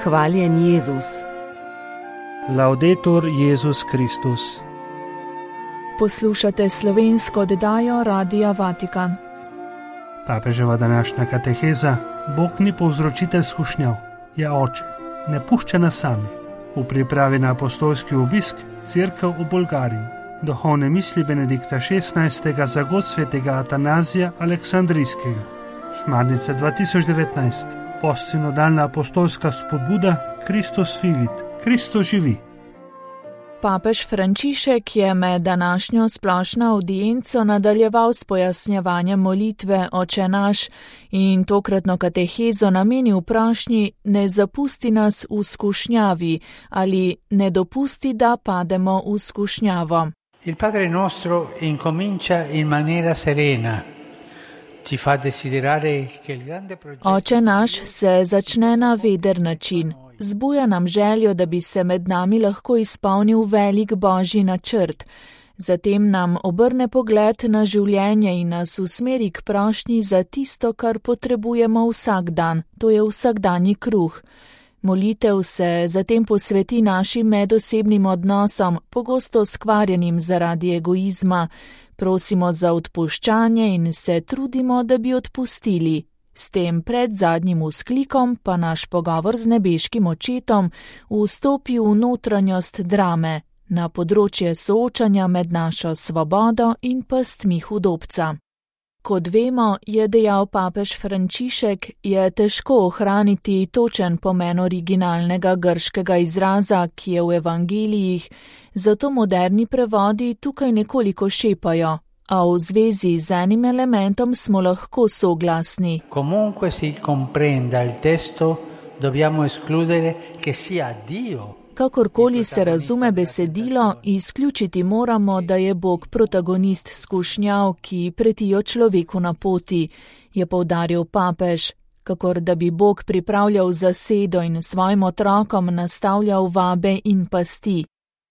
Hvaljen Jezus. Laudetur Jezus Kristus. Poslušate slovensko oddajo Radia Vatikan. Papeževa današnja kateheza: Bog ni povzročitelj skušnjav, je oče, ne pušča nas sami. V pripravi na apostolski obisk Cerkev v Bolgariji. Duhovne misli Benedikta XVI. Za god svetega Atanazija Aleksandrijskega. Šmarnica 2019. Postsinodalna apostolska spodbuda Kristus Filit. Kristus živi. Papež Frančišek je med današnjo splošno avdienco nadaljeval s pojasnjevanjem molitve Oče naš in tokratno katehezo namenil vprašnji: ne zapusti nas v skušnjavi ali ne dopusti, da pademo v skušnjavo. Il Padre nostro incomincia in maniera serena. Ci fa desiderare che il grande progetto. Oče naš se začne na veder način. Zbuja nam željo, da bi se med nami lahko izpolnil velik božji načrt. Zatem nam obrne pogled na življenje in nas usmeri k prošnji za tisto, kar potrebujemo vsak dan, to je vsakdanji kruh. Molitev se zatem posveti našim medosebnim odnosom, pogosto skvarjenim zaradi egoizma. Prosimo za odpuščanje in se trudimo, da bi odpustili. S tem pred zadnjim vzklikom pa naš pogovor z nebeškim očetom vstopi v notranjost drame, na področje soočanja med našo svobodo in pastmi hudobca. Kot vemo, je dejal papež Frančišek, je težko ohraniti točen pomen originalnega grškega izraza, ki je v evangelijih, zato moderni prevodi tukaj nekoliko šepajo, a v zvezi z enim elementom smo lahko soglasni. Comunque si comprenda il testo, dobbiamo escludere che sia Dio. Kakorkoli se razume besedilo, izključiti moramo, da je Bog protagonist skušnjav, ki pretijo človeku na poti, je poudaril papež, kakor da bi Bog pripravljal zasedo in svojim otrokom nastavljal vabe in pasti.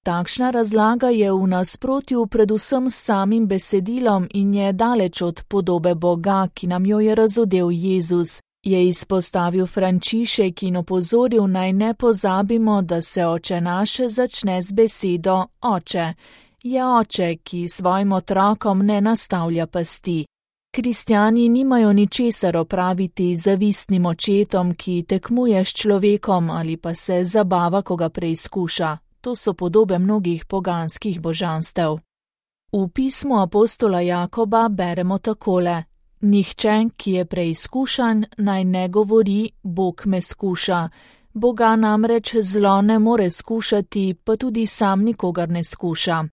Takšna razlaga je v nasprotju predvsem s samim besedilom in je daleč od podobe Boga, ki nam jo je razodel Jezus, je izpostavil Frančišek in opozoril, naj ne pozabimo, da se Oče naš začne z besedo Oče. Je Oče, ki svojim otrokom ne nastavlja pasti. Kristjani nimajo ničesar opraviti z zavistnim očetom, ki tekmuje s človekom ali pa se zabava, ko ga preizkuša. To so podobe mnogih poganskih božanstev. V pismu apostola Jakoba beremo takole: Nihče, ki je preizkušan, naj ne govori, Bog me skuša. Boga namreč zlo ne more skušati, pa tudi sam nikogar ne skuša.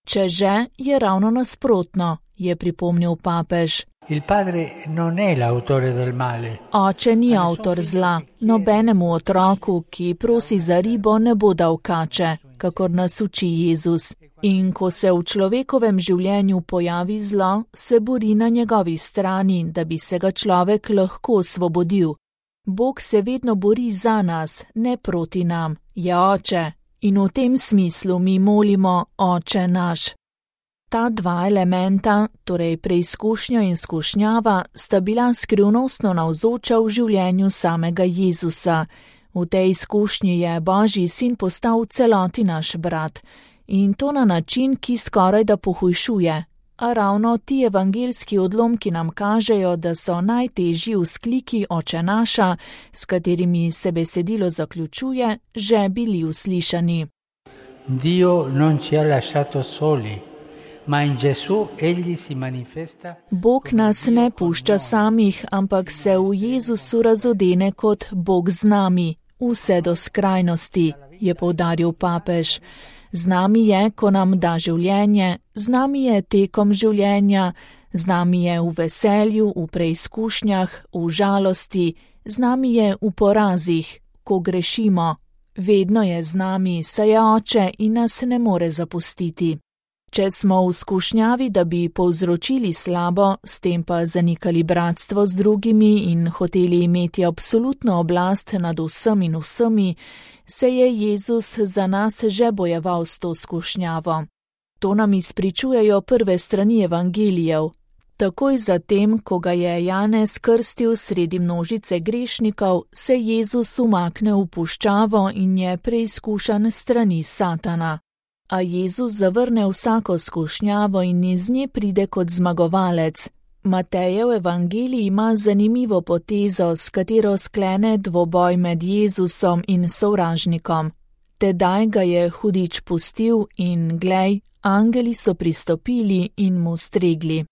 Če že, je ravno nasprotno, je pripomnil papež. Il padre non è l'autore del male. Oče ni avtor zla, nobenemu otroku, ki prosi za ribo, ne bo dal kače, kakor nas uči Jezus. In ko se v človekovem življenju pojavi zlo, se bori na njegovi strani, da bi se ga človek lahko osvobodil. Bog se vedno bori za nas, ne proti nam, je Oče. In v tem smislu mi molimo Oče naš. Ta dva elementa, torej preizkušnja in skušnjava, sta bila skrivnostno navzoča v življenju samega Jezusa. V tej izkušnji je Božji sin postal v celoti naš brat. In to na način, ki skoraj da pohujšuje. A ravno ti evangeljski odlomki nam kažejo, da so najtežji vzkliki Oče naša, s katerimi se besedilo zaključuje, že bili uslišani. Dio non ci ha lasciato soli, ma in Gesù egli si manifesta. Bog nas ne pušča samih, ampak se v Jezusu razodene kot Bog z nami, vse do skrajnosti, je poudaril papež. Z nami je, ko nam da življenje, z nami je tekom življenja, z nami je v veselju, v preizkušnjah, v žalosti, z nami je v porazih, ko grešimo. Vedno je z nami, saj je Oče in nas ne more zapustiti. Če smo v skušnjavi, da bi povzročili slabo, s tem pa zanikali bratstvo z drugimi in hoteli imeti absolutno oblast nad vsem in vsemi, se je Jezus za nas že bojeval s to skušnjavo. To nam izpričujejo prve strani evangelijev. Takoj zatem, ko ga je Janez krstil sredi množice grešnikov, se Jezus umakne v puščavo in je preizkušan strani Satana. A Jezus zavrne vsako skušnjavo in iz nje pride kot zmagovalec. Matejev evangelij ima zanimivo potezo, s katero sklene dvoboj med Jezusom in sovražnikom. Tedaj ga je hudič pustil in, glej, angeli so pristopili in mu stregli.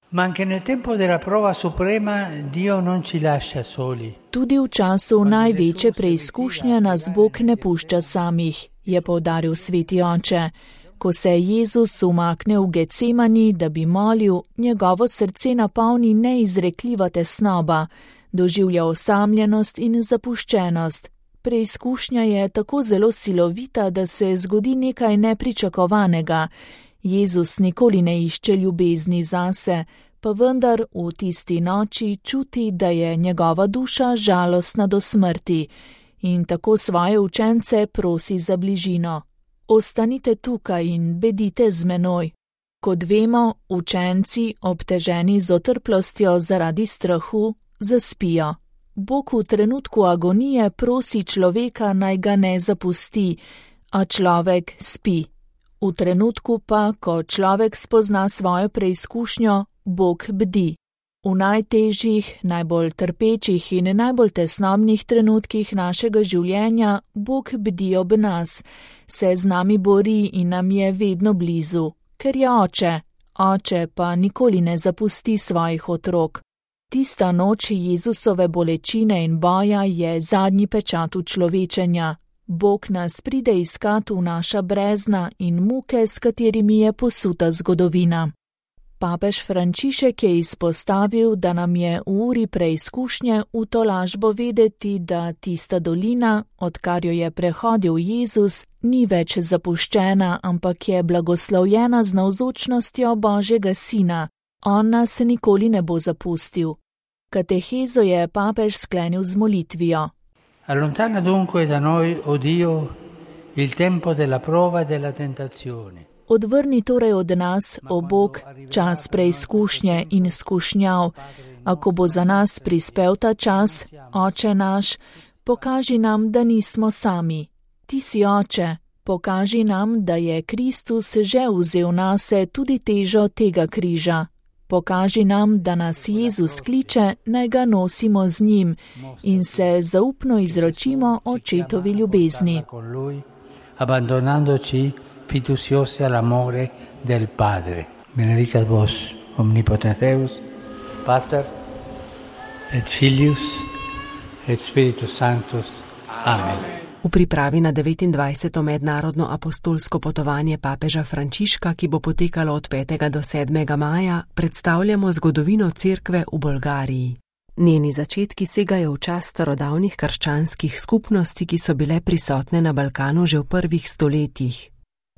Ma anche nel tempo della prova suprema Dio non ci lascia soli. Tudi v času največje preizkušnje nas Bog ne pušča samih, je poudaril sveti oče. Ko se Jezus umakne v Getsemani, da bi molil, njegovo srce napolni neizrekljiva tesnoba, doživlja osamljenost in zapuščenost. Preizkušnja je tako zelo silovita, da se zgodi nekaj nepričakovanega. Jezus nikoli ne išče ljubezni zase, pa vendar v tisti noči čuti, da je njegova duša žalostna do smrti in tako svoje učence prosi za bližino. Ostanite tukaj in bedite z menoj. Kot vemo, učenci, obteženi z otrplostjo zaradi strahu, zaspijo. Bog v trenutku agonije prosi človeka, naj ga ne zapusti, a človek spi. V trenutku pa, ko človek spozna svojo preizkušnjo, Bog bdi. V najtežjih, najbolj trpečih in najbolj tesnobnih trenutkih našega življenja Bog bdi ob nas, se z nami bori in nam je vedno blizu, ker je oče. Oče pa nikoli ne zapusti svojih otrok. Tista noč Jezusove bolečine in boja je zadnji pečat človečenja. Bog nas pride iskat v naša brezna in muke, s katerimi je posuta zgodovina. Papež Frančišek je izpostavil, da nam je v uri preizkušnje v tolažbo vedeti, da tista dolina, odkar jo je prehodil Jezus, ni več zapuščena, ampak je blagoslovljena z navzočnostjo Božjega Sina. On nas nikoli ne bo zapustil. Katehezo je papež sklenil z molitvijo. Allontana dunque da noi, o Dio, il tempo della prova e della tentazione. Odvrni torej od nas, o Bog, čas preizkušnje in skušnjav. Ako bo za nas prispel ta čas, Oče naš, pokaži nam, da nismo sami. Ti si Oče, pokaži nam, da je Kristus že vzel nase tudi težo tega križa. Pokaži nam, da nas Jezus kliče, naj ga nosimo z njim in se zaupno izročimo očetovi ljubezni. Abbandonandoci fiduciosi all'amore del Padre. Benedicat vos, omnipotens Deus, Pater, et Filius, et Spiritus Sanctus. Amen. V pripravi na 29. mednarodno apostolsko potovanje papeža Frančiška, ki bo potekalo od 5. do 7. maja, predstavljamo zgodovino cerkve v Bolgariji. Njeni začetki segajo v čas starodavnih krščanskih skupnosti, ki so bile prisotne na Balkanu že v prvih stoletjih.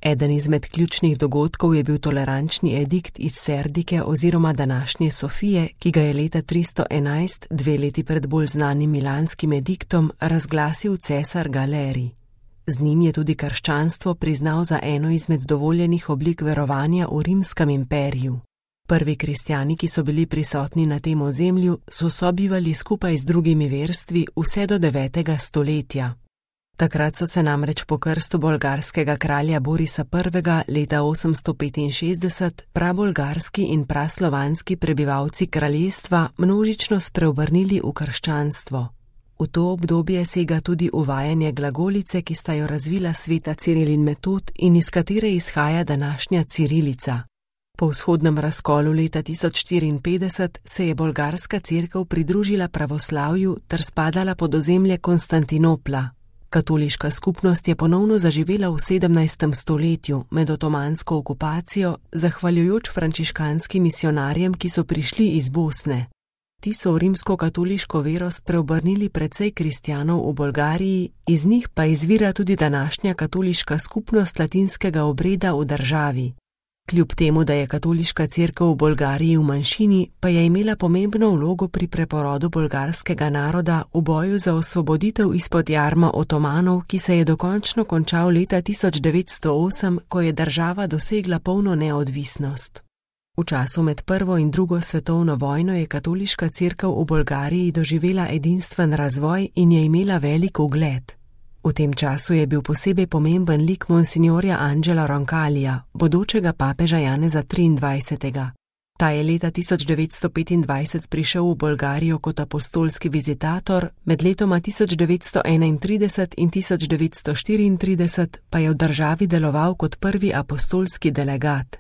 Eden izmed ključnih dogodkov je bil tolerančni edikt iz Serdike oziroma današnje Sofije, ki ga je leta 311, 2 leti pred bolj znanim milanskim ediktom, razglasil cesar Galeri. Z njim je tudi krščanstvo priznal za eno izmed dovoljenih oblik verovanja v Rimskem imperiju. Prvi kristjani, ki so bili prisotni na tem ozemlju, so sobivali skupaj z drugimi verstvi vse do 9. stoletja. Takrat so se namreč po krstu bolgarskega kralja Borisa I. leta 865 prabolgarski in praslovanski prebivalci kraljestva množično spreobrnili v krščanstvo. V to obdobje sega tudi uvajanje glagolice, ki sta jo razvila sveta Ciril in Metod in iz katere izhaja današnja cirilica. Po vzhodnem razkolu leta 1054 se je bolgarska cerkev pridružila pravoslavju ter spadala pod ozemlje Konstantinopla. Katoliška skupnost je ponovno zaživela v 17. stoletju med otomansko okupacijo, zahvaljujoč frančiškanskim misionarjem, ki so prišli iz Bosne. Ti so v rimsko-katoliško vero spreobrnili precej kristjanov v Bolgariji, iz njih pa izvira tudi današnja katoliška skupnost latinskega obreda v državi. Kljub temu, da je katoliška cerkev v Bolgariji v manjšini, pa je imela pomembno vlogo pri preporodu bolgarskega naroda v boju za osvoboditev izpod jarma Otomanov, ki se je dokončno končal leta 1908, ko je država dosegla polno neodvisnost. V času med prvo in drugo svetovno vojno je katoliška cerkev v Bolgariji doživela edinstven razvoj in je imela velik ugled. V tem času je bil posebej pomemben lik monsignorja Angela Roncalija, bodočega papeža Janeza 23. Ta je leta 1925 prišel v Bolgarijo kot apostolski vizitator, med letoma 1931 in 1934 pa je v državi deloval kot prvi apostolski delegat.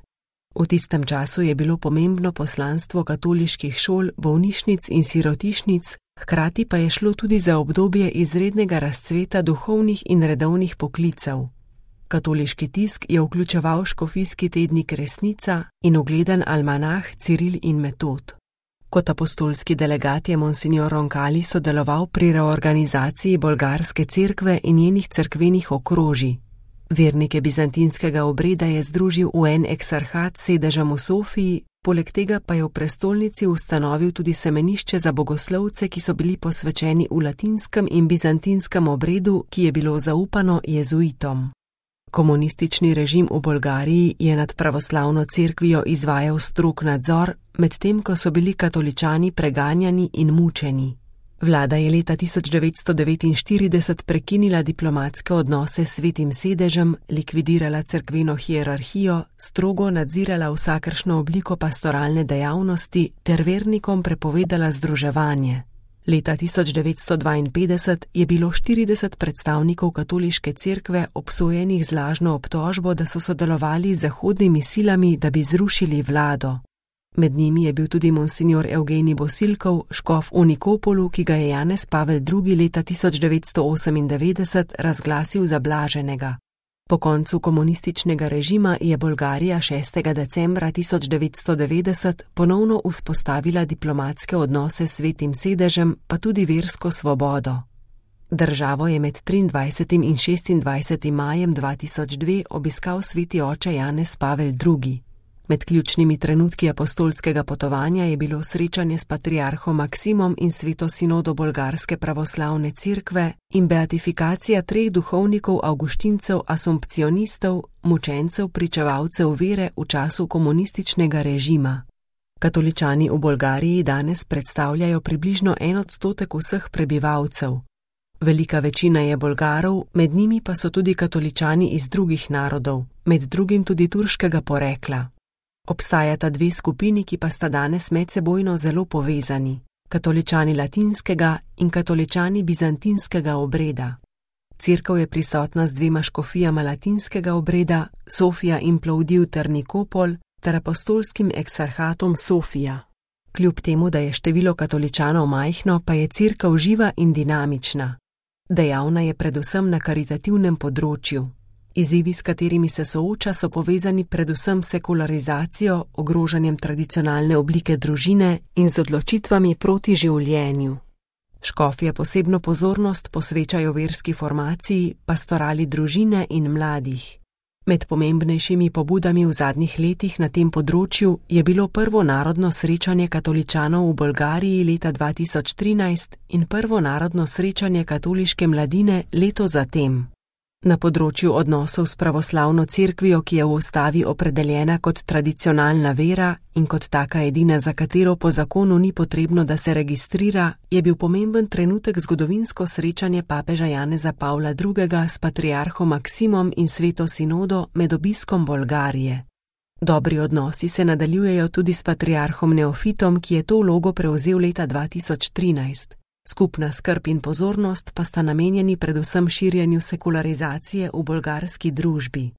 V tistem času je bilo pomembno poslanstvo katoliških šol, bolnišnic in sirotišnic, hkrati pa je šlo tudi za obdobje izrednega razcveta duhovnih in redovnih poklicev. Katoliški tisk je vključeval škofijski tednik Resnica in ugledan almanah Ciril in Metod. Kot apostolski delegat je monsignor Roncalli sodeloval pri reorganizaciji bolgarske cerkve in njenih cerkvenih okrožij. Vernike bizantinskega obreda je združil v en eksarhat s sedežem v Sofiji, poleg tega pa je v prestolnici ustanovil tudi semenišče za bogoslovce, ki so bili posvečeni v latinskem in bizantinskem obredu, ki je bilo zaupano jezuitom. Komunistični režim v Bolgariji je nad pravoslavno cerkvijo izvajal strog nadzor, medtem ko so bili katoličani preganjani in mučeni. Vlada je leta 1949 prekinila diplomatske odnose s Svetim sedežem, likvidirala cerkveno hierarhijo, strogo nadzirala vsakršno obliko pastoralne dejavnosti ter vernikom prepovedala združevanje. Leta 1952 je bilo 40 predstavnikov katoliške cerkve obsojenih z lažno obtožbo, da so sodelovali z zahodnimi silami, da bi zrušili vlado. Med njimi je bil tudi monsignor Evgenij Bosilkov, škof v Nikopolu, ki ga je Janez Pavel II. Leta 1998 razglasil za blaženega. Po koncu komunističnega režima je Bolgarija 6. decembra 1990 ponovno vzpostavila diplomatske odnose s Svetim sedežem, pa tudi versko svobodo. Državo je med 23. in 26. majem 2002 obiskal sveti oče Janez Pavel II. Med ključnimi trenutki apostolskega potovanja je bilo srečanje s patriarhom Maksimom in sveto sinodo bolgarske pravoslavne cerkve in beatifikacija 3 duhovnikov avguštincev asumpcionistov, mučencev pričevalcev vere v času komunističnega režima. Katoličani v Bolgariji danes predstavljajo približno 1% vseh prebivalcev. Velika večina je Bolgarov, med njimi pa so tudi katoličani iz drugih narodov, med drugim tudi turškega porekla. Obstajata 2 skupini, ki pa sta danes medsebojno zelo povezani, katoličani latinskega in katoličani bizantinskega obreda. Cerkev je prisotna z 2 škofijama latinskega obreda, Sofija in Plovdiv ter Nikopol, ter apostolskim eksarhatom Sofija. Kljub temu, da je število katoličanov majhno, pa je cerkev živa in dinamična. Dejavna je predvsem na karitativnem področju. Izzivi, s katerimi se sooča, so povezani predvsem s sekularizacijo, ogrožanjem tradicionalne oblike družine in z odločitvami proti življenju. Škofje posebno pozornost posvečajo verski formaciji, pastorali družine in mladih. Med pomembnejšimi pobudami v zadnjih letih na tem področju je bilo prvo narodno srečanje katoličanov v Bolgariji leta 2013 in prvo narodno srečanje katoliške mladine leto zatem. Na področju odnosov s pravoslavno cerkvijo, ki je v ustavi opredeljena kot tradicionalna vera in kot taka edina, za katero po zakonu ni potrebno, da se registrira, je bil pomemben trenutek zgodovinsko srečanje papeža Janeza Pavla II. S patriarhom Maksimom in sveto sinodo med obiskom Bolgarije. Dobri odnosi se nadaljujejo tudi s patriarhom Neofitom, ki je to vlogo prevzel leta 2013. Skupna skrb in pozornost pa sta namenjeni predvsem širjenju sekularizacije v bolgarski družbi.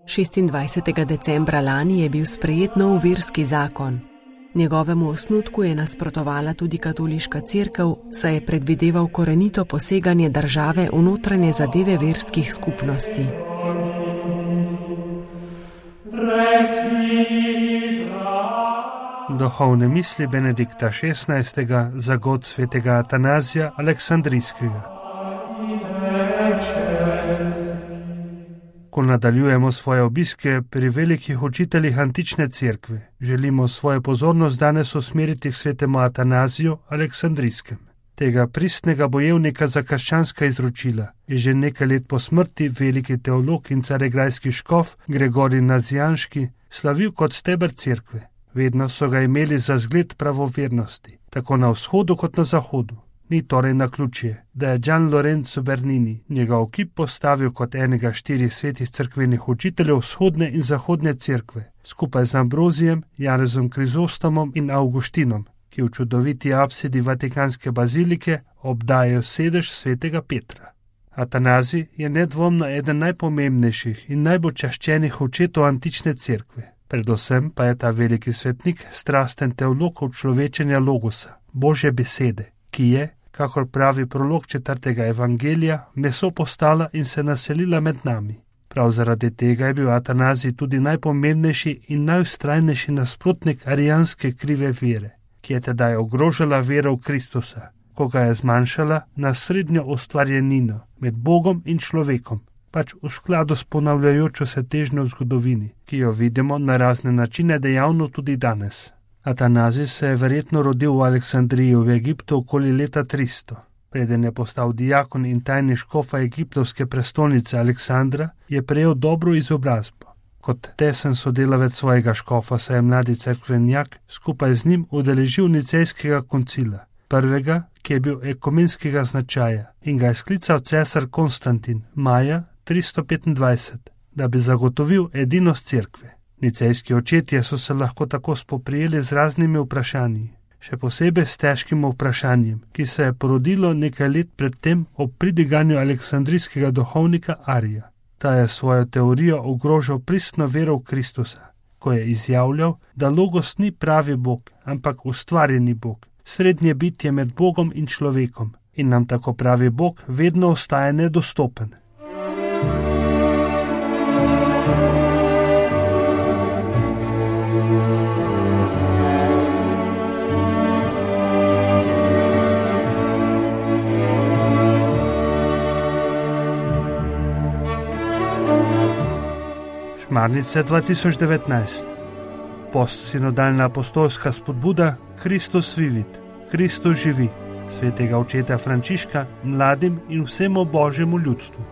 26. decembra lani je bil sprejet nov verski zakon. Njegovemu osnutku je nasprotovala tudi katoliška cerkev, saj je predvideval korenito poseganje države v notranje zadeve verskih skupnosti. Duhovne misli Benedikta XVI. Za god svetega Atanazija Aleksandrijskega. Ko nadaljujemo svoje obiske pri velikih učiteljih antične cerkve, želimo svojo pozornost danes usmeriti k svetemu Atanaziju Aleksandrijskem. Tega pristnega bojevnika za krščanska izročila je že nekaj let po smrti veliki teolog in caregrajski škof Gregorij Nazianški slavil kot steber cerkve. Vedno so ga imeli za zgled pravovernosti, tako na vzhodu kot na zahodu. Ni torej naključje, da je Gian Lorenzo Bernini njegov kip postavil kot enega 4 svetih cerkvenih učiteljev vzhodne in zahodne cerkve, skupaj z Ambrozijem, Janezom Krizostomom in Avguštinom, ki v čudoviti apsidi Vatikanske bazilike obdajajo sedež svetega Petra. Atanazij je nedvomno eden najpomembnejših in najbolj čaščenih očetov antične cerkve. Predvsem pa je ta veliki svetnik strasten teolog človečenja logosa, Božje besede, ki je, kakor pravi prolog 4. evangelija, meso postala in se naselila med nami. Prav zaradi tega je bil Atanazij tudi najpomembnejši in najvztrajnejši nasprotnik arijanske krive vere, ki je tedaj ogrožala vero v Kristusa, ko ga je zmanjšala na srednjo ustvarjenino med Bogom in človekom, pač v skladu s ponavljajočo se težnjo v zgodovini, ki jo vidimo na razne načine dejavno tudi danes. Atanazij se je verjetno rodil v Aleksandriji v Egiptu okoli leta 300. Preden je postal diakon in tajni škofa egiptovske prestolnice Aleksandra, je prejel dobro izobrazbo. Kot tesen sodelavec svojega škofa se je mladi cerkvenjak skupaj z njim udeležil nicejskega koncila, prvega, ki je bil ekumenskega značaja, in ga je sklical cesar Konstantin maja 325, da bi zagotovil edinost cerkve. Nicejski očetje so se lahko tako spoprijeli z raznimi vprašanji, še posebej s težkim vprašanjem, ki se je porodilo nekaj let predtem ob pridiganju aleksandrijskega duhovnika Arija. Ta je svojo teorijo ogrožal pristno vero v Kristusa, ko je izjavljal, da logos ni pravi Bog, ampak ustvarjeni Bog, srednje bitje med Bogom in človekom, in nam tako pravi Bog vedno ostaja nedostopen. Šmarnice 2019. Postsinodalna apostolska spodbuda Kristus vivit, Kristus živi, svetega očeta Frančiška mladim in vsemu Božjemu ljudstvu.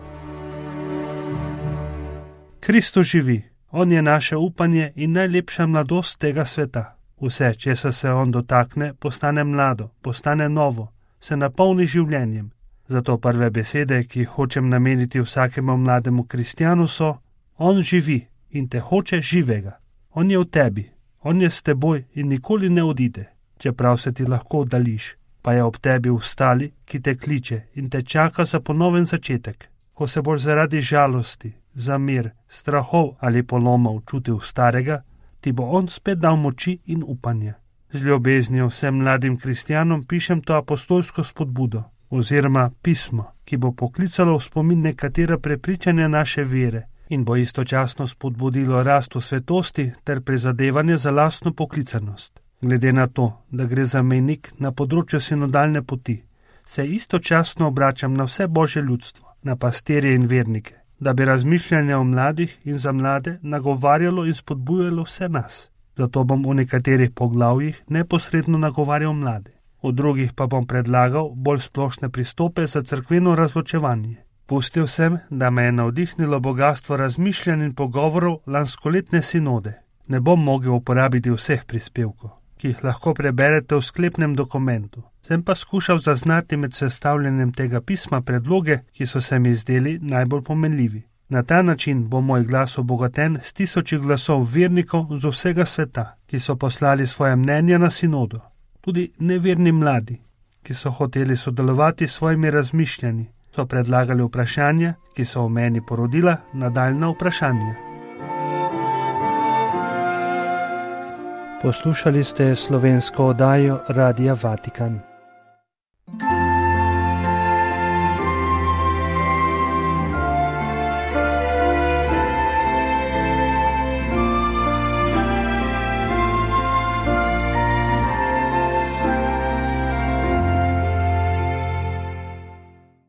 Kristus živi, on je naše upanje in najlepša mladost tega sveta. Vse, česar se on dotakne, postane mlado, postane novo, se napolni življenjem. Zato prve besede, ki jih hočem nameniti vsakemu mlademu kristjanu, so: on živi in te hoče živega. On je v tebi, on je s teboj in nikoli ne odide, čeprav se ti lahko oddališ, pa je ob tebi vstali, ki te kliče in te čaka za ponoven začetek. Ko se boš zaradi žalosti, zamir, strahov ali polomov čutil starega, ti bo on spet dal moči in upanje. Z ljubeznijo vsem mladim kristjanom pišem to apostolsko spodbudo, oziroma pismo, ki bo poklicalo v spomin nekatera prepričanja naše vere in bo istočasno spodbudilo rast v svetosti ter prizadevanje za lastno poklicanost. Glede na to, da gre za mejnik na področju sinodalne poti, se istočasno obračam na vse Božje ljudstvo, na pastirje in vernike, da bi razmišljanje o mladih in za mlade nagovarjalo in spodbujalo vse nas. Zato bom v nekaterih poglavjih neposredno nagovarjal mlade, v drugih pa bom predlagal bolj splošne pristope za cerkveno razločevanje. Pustil sem, da me je navdihnilo bogatstvo razmišljanj in pogovorov lanskoletne sinode. Ne bom mogel uporabiti vseh prispevkov, ki jih lahko preberete v sklepnem dokumentu. Sem pa skušal zaznati med sestavljanjem tega pisma predloge, ki so se mi zdeli najbolj pomenljivi. Na ta način bo moj glas obogaten s tisoči glasov vernikov z vsega sveta, ki so poslali svoje mnenja na sinodo. Tudi neverni mladi, ki so hoteli sodelovati s svojimi razmišljanji, so predlagali vprašanja, ki so v meni porodila nadaljna vprašanja. Poslušali ste slovensko oddajo Radia Vatikan.